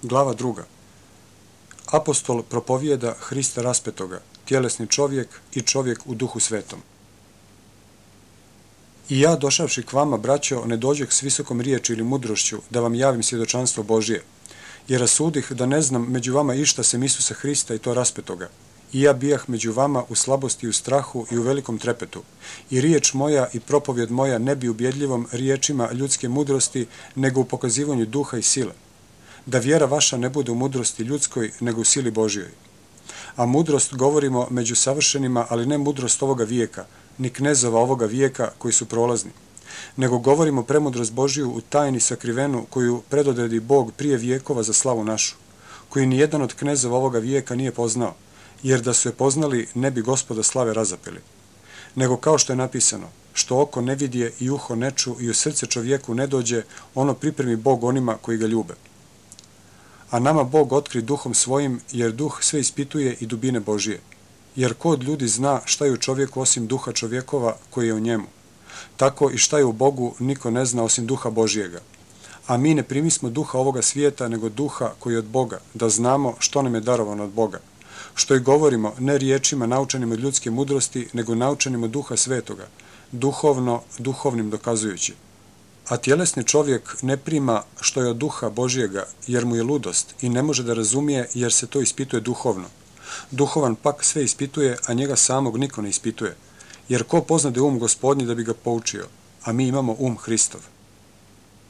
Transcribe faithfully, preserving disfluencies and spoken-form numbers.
Glava druga. Apostol propovijeda Hrista raspetoga, tjelesni čovjek i čovjek u duhu svetom. I ja, došavši k vama, braćo, ne dođeh s visokom riječi ili mudrošću da vam javim svjedočanstvo Božije, jer rasudih da ne znam među vama išta sem Isusa Hrista i to raspetoga. I ja bijah među vama u slabosti i u strahu i u velikom trepetu. I riječ moja i propovjed moja ne bi ubjedljivom riječima ljudske mudrosti, nego u pokazivanju duha i sile. Da vjera vaša ne bude u mudrosti ljudskoj, nego u sili Božjoj. A mudrost govorimo među savršenima, ali ne mudrost ovoga vijeka, ni knezova ovoga vijeka koji su prolazni. Nego govorimo premudrost Božju u tajni sakrivenu koju predodredi Bog prije vijekova za slavu našu, koju ni jedan od knezova ovoga vijeka nije poznao, jer da su je poznali ne bi Gospoda slave razapeli. Nego kao što je napisano, što oko ne vidje i uho ne ču i u srce čovjeku ne dođe, ono pripremi Bog onima koji ga ljube. A nama Bog otkri duhom svojim, jer duh sve ispituje i dubine Božije. Jer ko od ljudi zna šta je u čovjeku osim duha čovjekova koji je u njemu? Tako i šta je u Bogu niko ne zna osim duha Božijega. A mi ne primismo duha ovoga svijeta, nego duha koji je od Boga, da znamo što nam je darovano od Boga. Što i govorimo, ne riječima naučenim od ljudske mudrosti, nego naučenim od duha svetoga, duhovno, duhovnim dokazujući. A tjelesni čovjek ne prima što je od duha Božijega, jer mu je ludost i ne može da razumije, jer se to ispituje duhovno. Duhovan pak sve ispituje, a njega samog niko ne ispituje. Jer ko poznade um Gospodnji da bi ga poučio, a mi imamo um Hristov.